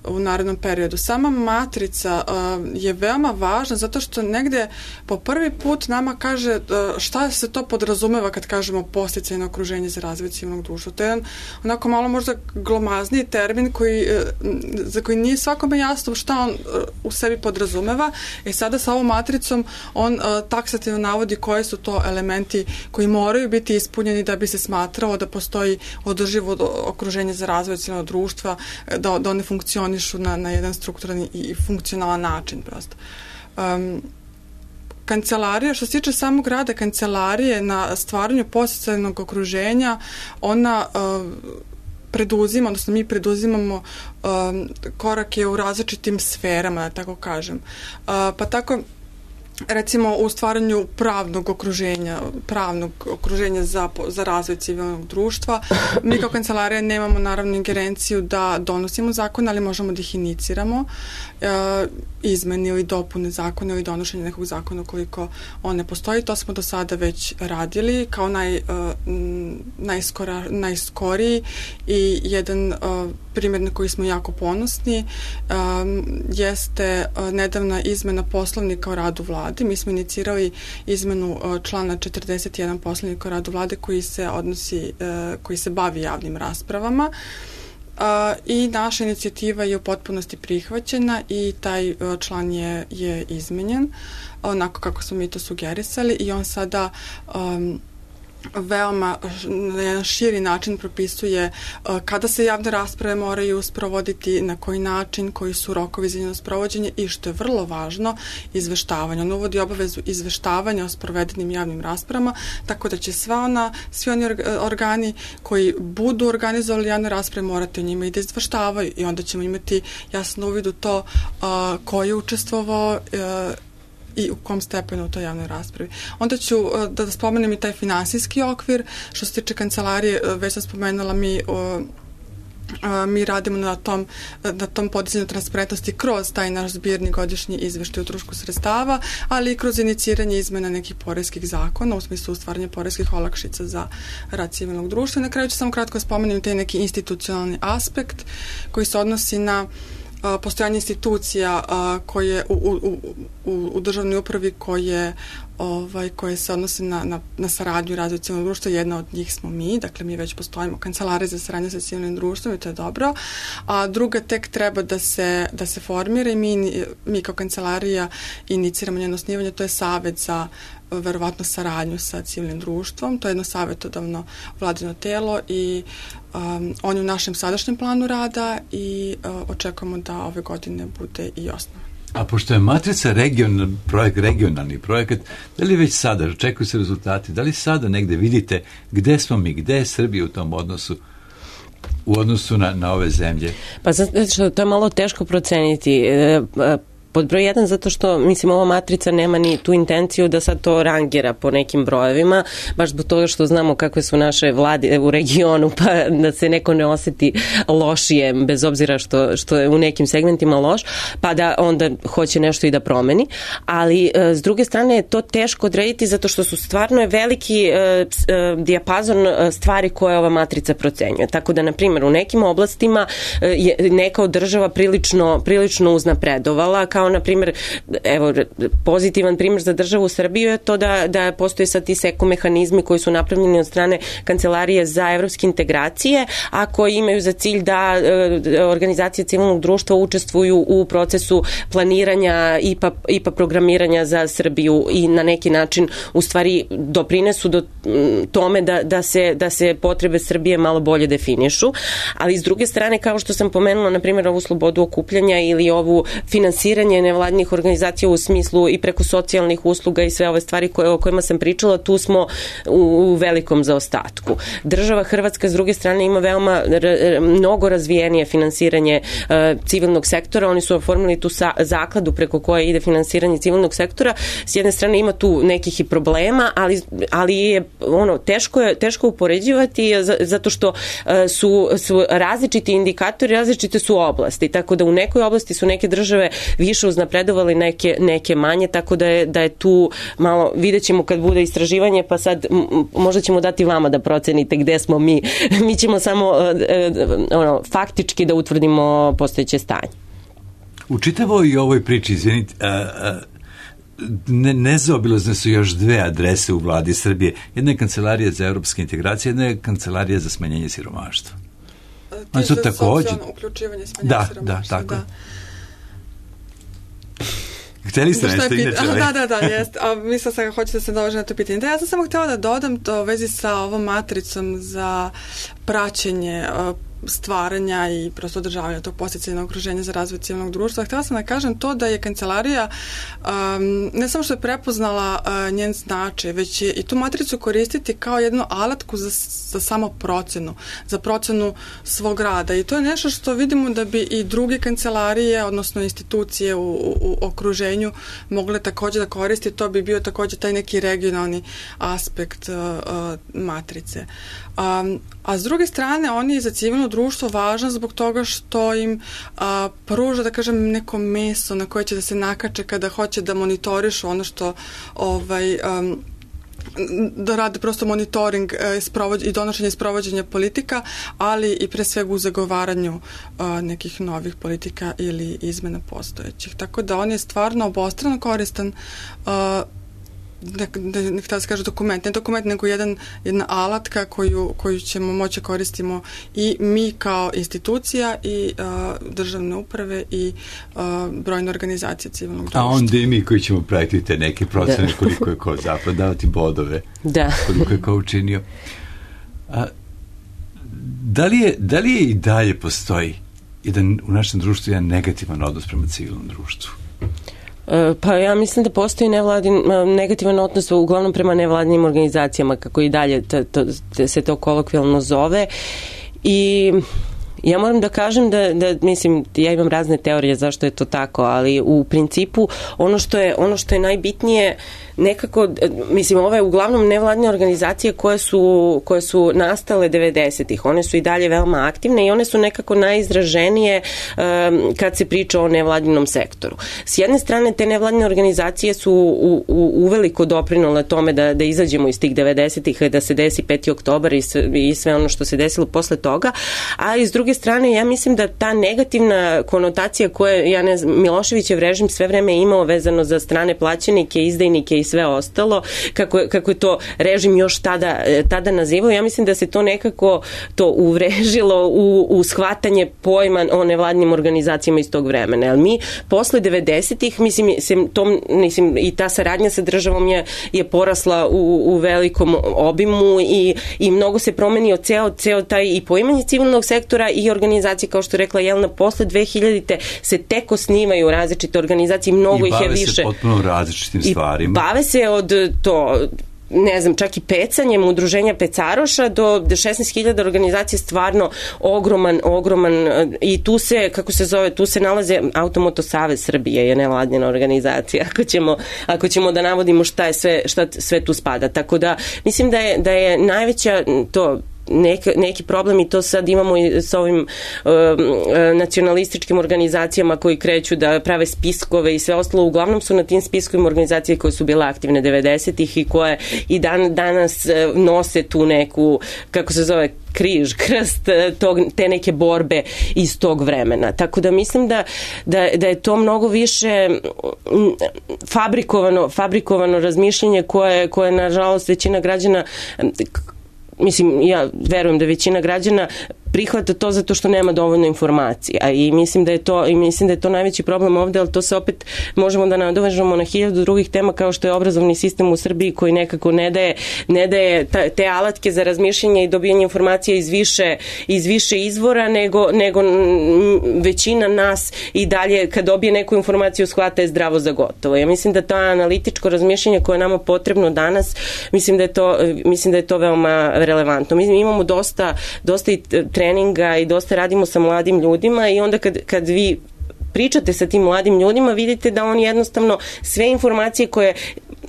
u narednom periodu. Sama matrica uh, je veoma važna zato što negde po prvi put nama kaže uh, šta se to podrazumeva kad kažemo podsticajno okruženje za razvoj civilnog društva. To je jedan onako malo možda glomazniji termin koji, uh, za koji nije svakome jasno šta on uh, u sebi podrazumeva. E sada sa ovom matricom on uh, taksativno navodi koje su to elementi koji moraju biti ispunjeni da bi se smatrao da postoji održivo okruženje za razvoj civilnog društva, da, da one funkcionišu na, na jedan strukturan i funkcionalan način prosto. Um, Kancelarija, što se tiče samog rada kancelarije na stvaranju podsticajnog okruženja, ona uh, preduzima, odnosno mi preduzimamo um, korake u različitim sferama, da tako kažem. Uh, pa tako recimo u stvaranju pravnog okruženja, pravnog okruženja za, za razvoj civilnog društva. Mi kao kancelarija nemamo naravno ingerenciju da donosimo zakon, ali možemo da ih iniciramo, e, izmeni ili dopune zakona ili donošenje nekog zakona ukoliko on ne postoji. To smo do sada već radili kao naj, e, najskora, najskoriji i jedan e, primjer na koji smo jako ponosni um, jeste uh, nedavna izmena poslovnika o radu vlade. Mi smo inicirali izmenu uh, člana četrdeset jedan poslovnika o radu vlade koji se odnosi, uh, koji se bavi javnim raspravama. Uh, i naša inicijativa je u potpunosti prihvaćena i taj uh, član je, je izmenjen onako kako smo mi to sugerisali i on sada um, veoma na jedan širi način propisuje uh, kada se javne rasprave moraju sprovoditi, na koji način, koji su rokovi za njeno sprovođenje i što je vrlo važno, izveštavanje. On uvodi obavezu izveštavanja o sprovedenim javnim raspravama, tako da će sva ona, svi oni organi koji budu organizovali javne rasprave morati o njima i da izveštavaju i onda ćemo imati jasno uvid u to uh, ko je učestvovao uh, i u kom stepenu u toj javnoj raspravi. Onda ću da, da spomenem i taj finansijski okvir. Što se tiče kancelarije, već sam spomenula, mi, o, a, mi radimo na tom, na tom podizanju transparentnosti kroz taj naš zbirni godišnji izveštaj o utrošku sredstava, ali i kroz iniciranje izmena nekih poreskih zakona, u smislu stvaranja poreskih olakšica za rad civilnog društva. I na kraju ću samo kratko spomenem taj neki institucionalni aspekt koji se odnosi na postojanje institucija koje u, u, u, u državnoj upravi koje, ovaj, koje se odnose na, na, na saradnju i razvoj civilnog društva. Jedna od njih smo mi, dakle mi već postojimo kancelarija za saradnju sa civilnim društvom i to je dobro. A druga tek treba da se, da se formira i mi, mi kao kancelarija iniciramo njeno osnivanje, to je Savet za verovatno saradnju sa civilnim društvom. To je jedno savjetodavno vladino telo i um, on je u našem sadašnjem planu rada i uh, očekujemo da ove godine bude i osnovan. A pošto je matrica regional, projekt, regionalni projekat, da li već sada očekuju se rezultati, da li sada negde vidite gde smo mi, gde je Srbija u tom odnosu u odnosu na, na ove zemlje? Pa zato što to je malo teško proceniti. E, Pod broj jedan, zato što, mislim, ova matrica nema ni tu intenciju da sad to rangira po nekim brojevima, baš zbog toga što znamo kakve su naše vlade u regionu, pa da se neko ne oseti lošije, bez obzira što, što je u nekim segmentima loš, pa da onda hoće nešto i da promeni. Ali, s druge strane, je to teško odrediti zato što su stvarno je veliki uh, dijapazon stvari koje ova matrica procenjuje. Tako da, na primjer, u nekim oblastima je neka od država prilično, prilično uznapredovala, kao na primjer, evo, pozitivan primjer za državu Srbiju je to da, da postoje sad ti seko mehanizmi koji su napravljeni od strane Kancelarije za evropske integracije, a koji imaju za cilj da e, organizacije civilnog društva učestvuju u procesu planiranja I P A, I P A programiranja za Srbiju i na neki način u stvari doprinesu do tome da, da, se, da se potrebe Srbije malo bolje definišu, ali s druge strane, kao što sam pomenula, na primjer, ovu slobodu okupljanja ili ovu finansiranje nevladnih organizacija u smislu i preko socijalnih usluga i sve ove stvari koje, o kojima sam pričala, tu smo u, u velikom zaostatku. Država Hrvatska s druge strane ima veoma r, mnogo razvijenije finansiranje uh, civilnog sektora. Oni su oformili tu sa, zakladu preko koje ide finansiranje civilnog sektora. S jedne strane ima tu nekih i problema, ali, ali je ono, teško je teško upoređivati zato što uh, su, su različiti indikatori, različite su oblasti. Tako da u nekoj oblasti su neke države više više uznapredovali, neke, neke manje, tako da je, da je tu malo, vidjet ćemo kad bude istraživanje, pa sad m, možda ćemo dati vama da procenite gde smo mi. Mi ćemo samo ono, faktički da utvrdimo postojeće stanje. U čitavoj ovoj priči, izvinite, a, a, ne, nezaobilazne su još dve adrese u vladi Srbije. Jedna je Kancelarija za evropske integracije, jedna je Kancelarija za smanjenje siromaštva. Ti za takođe... socijalno uključivanje, smanjenje da, siromaštva. Da, tako. Da. Htjeli ste nešto inače? Da, da, da, jest. A mislila sam kako hoćete da se dođe na to pitanje. Da, ja sam samo htjela da dodam to u vezi sa ovom matricom za praćenje stvaranja i prosto održavanja tog podsticajnog okruženja za razvoj civilnog društva. Htjela sam da kažem to da je kancelarija um, ne samo što je prepoznala uh, njen značaj, već je i tu matricu koristiti kao jednu alatku za, za samo procenu, za procenu svog rada. I to je nešto što vidimo da bi i druge kancelarije, odnosno institucije u, u, u okruženju mogle također da koristi. To bi bio također taj neki regionalni aspekt uh, uh, matrice. Um, a s druge strane, on je za civilno društvo važan zbog toga što im a, pruža, da kažem, neko meso na koje će da se nakače kada hoće da monitorišu ono što ovaj, um, da rade prosto monitoring i donošenje i sprovođenja politika, ali i pre svega u zagovaranju a, nekih novih politika ili izmena postojećih. Tako da on je stvarno obostrano koristan, a, ne, ne, ne htjela se kaže dokument, ne dokument, nego jedan, jedna alatka koju, koju ćemo moći koristimo i mi kao institucija i uh, državne uprave i uh, brojne organizacije civilnog društva. A onda i mi koji ćemo praviti te neke procene koliko je ko zapravo davati bodove, da. Koliko je ko učinio. A, da, li je, da li je i dalje postoji jedan, u našem društvu jedan negativan odnos prema civilnom društvu? Pa ja mislim da postoji nevladin, negativan odnos uglavnom prema nevladinim organizacijama, kako i dalje to, to, se to kolokvijalno zove. I ja moram da kažem da, da, mislim, ja imam razne teorije zašto je to tako, ali u principu ono što je, ono što je najbitnije nekako, mislim, ove uglavnom nevladine organizacije koje su, koje su nastale devedesetih, one su i dalje veoma aktivne i one su nekako najizraženije um, kad se priča o nevladinom sektoru. S jedne strane, te nevladine organizacije su u, u, uveliko doprinule tome da, da izađemo iz tih devedesetih, da se desi peti oktobar i sve, i sve ono što se desilo posle toga, a iz druge strane, ja mislim da ta negativna konotacija koje, ja ne znam, Miloševićev režim sve vreme imao vezano za strane plaćenike, izdajnike i sve ostalo, kako, kako je to režim još tada, tada nazivao, ja mislim da se to nekako to uvrežilo u, u shvatanje pojma o nevladnim organizacijama iz tog vremena. Jer mi posle devedesetih, mislim, tom, mislim, i ta saradnja sa državom je, je porasla u, u velikom obimu i, i mnogo se promenio ceo, ceo taj i poimanje civilnog sektora i organizacije, kao što je rekla Jelena, posle dve hiljadite se tek osnivaju različite organizacije, mnogo ih je više. I bave se potpuno različitim stvarima. Bave se od to, ne znam, čak i pecanjem udruženja pecaroša do šesnaest hiljada organizacije, stvarno ogroman, ogroman, i tu se, kako se zove, tu se nalaze Automoto Savez Srbije je nevladina organizacija, ako ćemo, ako ćemo da navodimo šta je sve, šta sve tu spada. Tako da, mislim da je, da je najveća to Neki, neki problem, i to sad imamo i sa ovim uh, nacionalističkim organizacijama koji kreću da prave spiskove i sve ostalo. Uglavnom su na tim spiskovima organizacije koje su bile aktivne devedesetih i koje i dan, danas uh, nose tu neku, kako se zove, križ, krst tog, te neke borbe iz tog vremena. Tako da mislim da, da, da je to mnogo više fabrikovano, fabrikovano razmišljanje koje, koje nažalost većina građana, mislim, ja verujem da većina građana prihvata to zato što nema dovoljno informacija i mislim da je to, i mislim da je to najveći problem ovde, ali to se opet možemo da nadovežemo na hiljadu drugih tema, kao što je obrazovni sistem u Srbiji koji nekako ne daje, ne daje ta, te alatke za razmišljanje i dobijanje informacija iz više, iz više izvora, nego, nego većina nas i dalje kad dobije neku informaciju shvata je zdravo za gotovo. Ja mislim da to analitičko razmišljanje koje je nama potrebno danas, mislim da je to, mislim da je to veoma relevantno. Mi imamo dosta, dosta i treninga i dosta radimo sa mladim ljudima i onda kad, kad vi pričate sa tim mladim ljudima, vidite da oni jednostavno sve informacije koje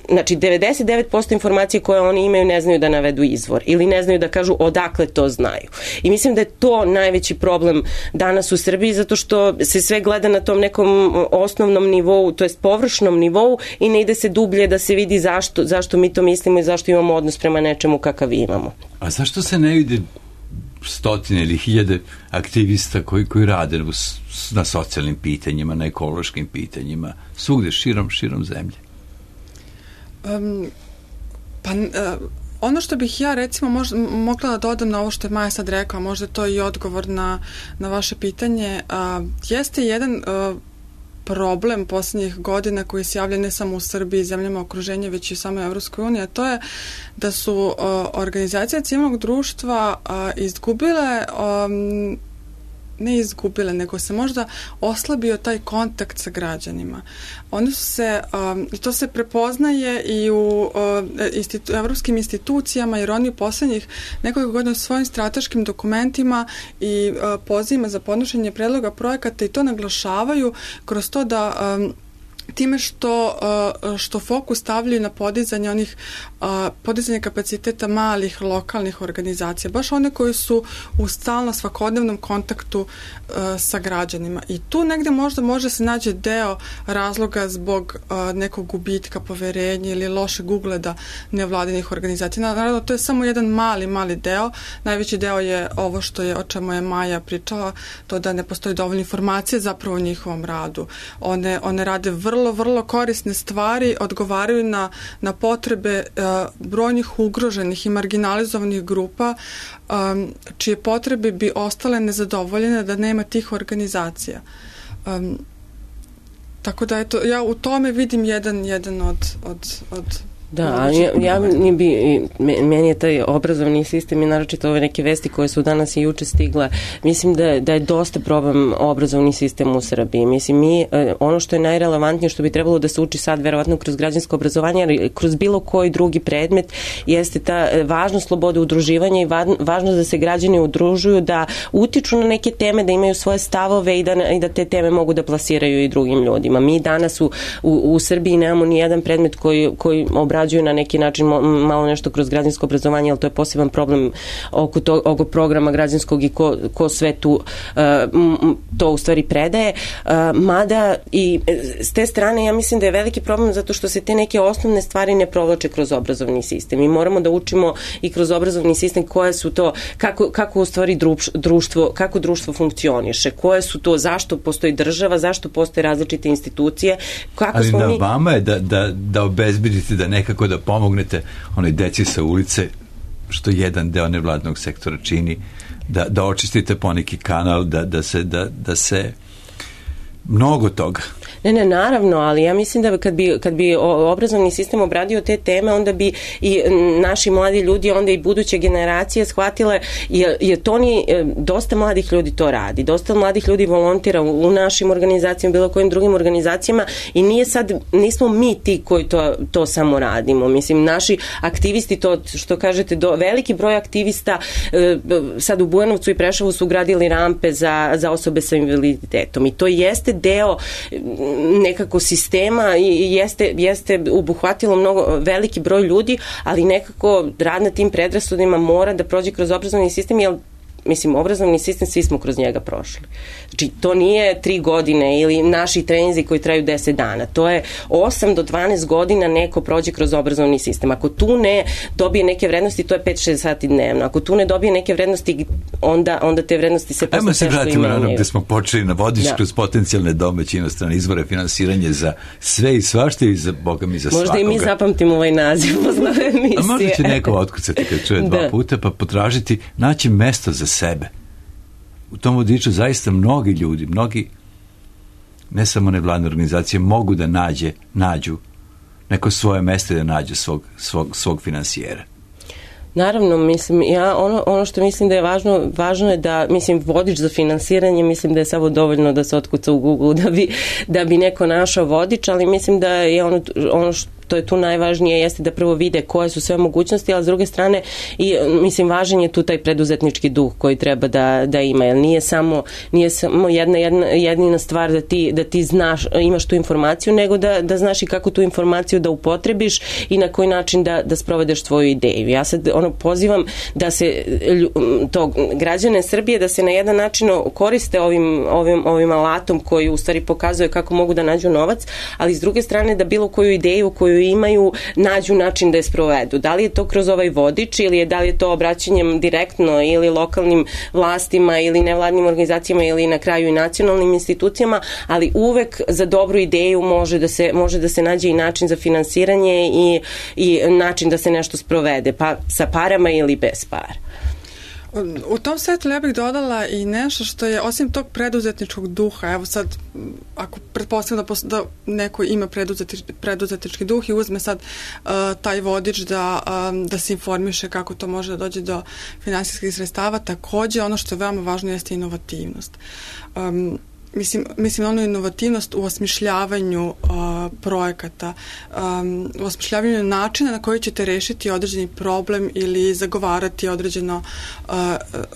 znači devedeset devet posto informacije koje oni imaju ne znaju da navedu izvor ili ne znaju da kažu odakle to znaju. I mislim da je to najveći problem danas u Srbiji, zato što se sve gleda na tom nekom osnovnom nivou, to jest površnom nivou, i ne ide se dublje da se vidi zašto, zašto mi to mislimo i zašto imamo odnos prema nečemu kakav imamo. A zašto se ne vidi stotine ili hiljade aktivista koji, koji rade na socijalnim pitanjima, na ekološkim pitanjima, svugde širom, širom zemlje? Um, pa uh, ono što bih ja recimo možda, mogla da dodam na ovo što je Maja sad rekla, možda to i odgovor na, na vaše pitanje, uh, jeste jedan uh, problem posljednjih godina koji se javlja ne samo u Srbiji i zemljama okruženja, već i u samoj Evropskoj uniji, a to je da su uh, organizacije civilnog društva uh, izgubile um, ne izgubile, nego se možda oslabio taj kontakt sa građanima. Oni su se, um, to se prepoznaje i u uh, institu, evropskim institucijama, jer oni u poslednjih nekoliko godina u svojim strateškim dokumentima i uh, pozivima za podnošenje predloga projekata i to naglašavaju kroz to da um, time što, što fokus stavljaju na podizanje onih podizanje kapaciteta malih lokalnih organizacija, baš one koji su u stalno svakodnevnom kontaktu sa građanima. I tu negde možda može se naći deo razloga zbog nekog gubitka poverenja ili lošeg ugleda nevladinih organizacija. Naravno, to je samo jedan mali, mali deo. Najveći deo je ovo što je, o čemu je Maja pričala, to da ne postoji dovoljno informacije zapravo o njihovom radu. One, one rade vrlo vrlo, vrlo korisne stvari, odgovaraju na, na potrebe uh, brojnih ugroženih i marginalizovanih grupa, um, čije potrebe bi ostale nezadovoljene da nema tih organizacija. Um, tako da, eto, ja u tome vidim jedan, jedan od, od, od Da, ja, ja bi, meni je taj obrazovni sistem i naročito ove neke vesti koje su danas i juče stigle, mislim da, da je dosta problem obrazovni sistem u Srbiji. Mislim, mi, ono što je najrelevantnije, što bi trebalo da se uči sad, verovatno kroz građansko obrazovanje, ali kroz bilo koji drugi predmet, jeste ta važnost slobode udruživanja i važnost da se građani udružuju, da utiču na neke teme, da imaju svoje stavove i da, i da te teme mogu da plasiraju i drugim ljudima. Mi danas u, u, u Srbiji nemamo ni jedan predmet koji, koji obrađuje na neki način malo nešto kroz građansko obrazovanje, ali to je poseban problem oko, to, oko programa građanskog i ko, ko sve tu uh, to u stvari predaje. Uh, mada i s te strane ja mislim da je veliki problem zato što se te neke osnovne stvari ne provlače kroz obrazovni sistem. Mi moramo da učimo i kroz obrazovni sistem koje su to, kako, kako u stvari društvo, kako društvo funkcioniše, koje su to, zašto postoji država, zašto postoje različite institucije. Kako ali smo na mi... vama je da, da, da obezbedite da nekako da pomognete onoj deci sa ulice, što jedan deo nevladnog sektora čini, da, da očistite poneki kanal, da, da, se, da, da se mnogo toga. Ne, ne, naravno, ali ja mislim da kad bi, kad bi obrazovni sistem obradio te teme, onda bi i naši mladi ljudi, onda i buduće generacije shvatile, jer, jer to ni, dosta mladih ljudi to radi, dosta mladih ljudi volontira u, u našim organizacijama, bilo kojim drugim organizacijama i nije sad, nismo mi ti koji to, to samo radimo. Mislim, naši aktivisti, to što kažete, do, veliki broj aktivista sad u Bujanovcu i Preševu su gradili rampe za, za osobe sa invaliditetom i to jeste deo nekako sistema i jeste, jeste obuhvatilo mnogo veliki broj ljudi, ali nekako rad na tim predrasudima mora da prođe kroz obrazovni sistem, jer mislim, obrazovni sistem, svi smo kroz njega prošli. Znači, to nije tri godine ili naši treninzi koji traju deset dana. To je osam do dvanaest godina neko prođe kroz obrazovni sistem. Ako tu ne dobije neke vrednosti, to je pet do šest sati dnevno. Ako tu ne dobije neke vrednosti, onda, onda te vrednosti se posle teško imenjaju. Ajmo se vratimo na ono gde smo počeli na vodič da. Kroz potencijalne domaće inostrane izvore finansiranje za sve i svašta i za Boga mi za možda svakoga. Možda i mi zapamtimo ovaj naziv posle emisije. A možda će neko otkucati kad čuje dva da. puta, pa potražiti, naći mesto za sebe. U tom vodiču zaista mnogi ljudi, mnogi, ne samo nevladne organizacije, mogu da nađe, nađu neko svoje mesto da nađu svog, svog, svog finansijera. Naravno, mislim, ja ono, ono što mislim da je važno, važno je da, mislim, vodič za finansiranje, mislim da je samo dovoljno da se otkuca u Google da bi, da bi neko našao vodič, ali mislim da je ono, ono što to je tu najvažnije, jeste da prvo vide koje su sve mogućnosti, ali s druge strane i mislim važan je tu taj preduzetnički duh koji treba da, da ima, jer nije samo, nije samo jedna, jedna, jedina stvar da ti, da ti znaš, imaš tu informaciju, nego da, da znaš i kako tu informaciju da upotrebiš i na koji način da, da sprovedeš svoju ideju. Ja sad ono pozivam da se to, građane Srbije da se na jedan način koriste ovim, ovim, ovim alatom koji u stvari pokazuje kako mogu da nađu novac, ali s druge strane da bilo koju ideju koju imaju nađu način da je sprovedu. Da li je to kroz ovaj vodič ili je, da li je to obraćanjem direktno ili lokalnim vlastima ili nevladnim organizacijama ili na kraju i nacionalnim institucijama, ali uvek za dobru ideju može da se, može da se nađe i način za finansiranje i, i način da se nešto sprovede, pa sa parama ili bez para. U tom svetlu ja bih dodala i nešto što je, osim tog preduzetničkog duha, evo sad, ako pretpostavljam da, da neko ima preduzetič, preduzetnički duh i uzme sad uh, taj vodič da, um, da se informiše kako to može da dođe do finansijskih sredstava, takođe ono što je veoma važno jeste inovativnost. Um, Mislim, mislim ono inovativnost u osmišljavanju uh, projekata, um, u osmišljavanju načina na koji ćete rešiti određeni problem ili zagovarati određeno uh,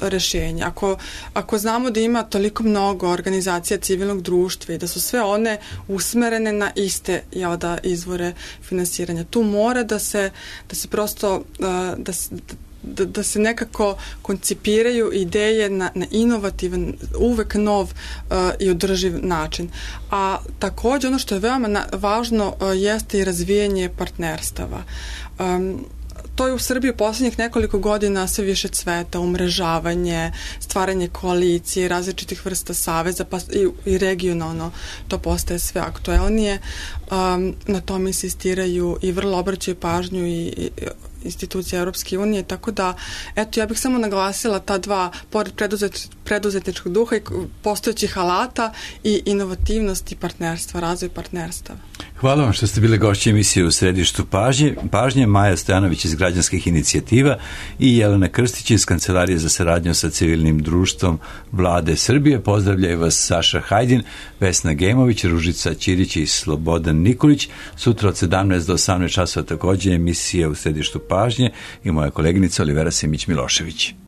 rešenje. Ako, ako znamo da ima toliko mnogo organizacija civilnog društva i da su sve one usmerene na iste jel da, izvore finansiranja, tu mora da se, da se prosto uh, da se, Da, da se nekako koncipiraju ideje na, na inovativan, uvek nov uh, i održiv način. A takođe ono što je veoma na, važno uh, jeste i razvijanje partnerstava. Um, To je u Srbiji u poslednjih nekoliko godina sve više cveta, umrežavanje, stvaranje koalicije, različitih vrsta saveza, pa i, i regionalno to postaje sve aktuelnije. Um, na tom insistiraju i vrlo obraćaju pažnju i, i institucije Europske unije, tako da, eto, ja bih samo naglasila ta dva, pored preduzet, preduzetničkog duha i postojećih alata i inovativnost i partnerstva, razvoj partnerstava. Hvala vam što ste bile gošće emisije U središtu pažnje. Pažnje Maja Stojanović iz Građanskih inicijativa i Jelena Krstić iz Kancelarije za saradnju sa civilnim društvom Vlade Srbije. Pozdravljaju vas Saša Hajdin, Vesna Gemović, Ružica Ćirić i Slobodan Nikolić. Sutra od sedamnaest do osamnaest časova takođe emisija U središtu pažnje i moja koleginica Olivera Simić-Milošević.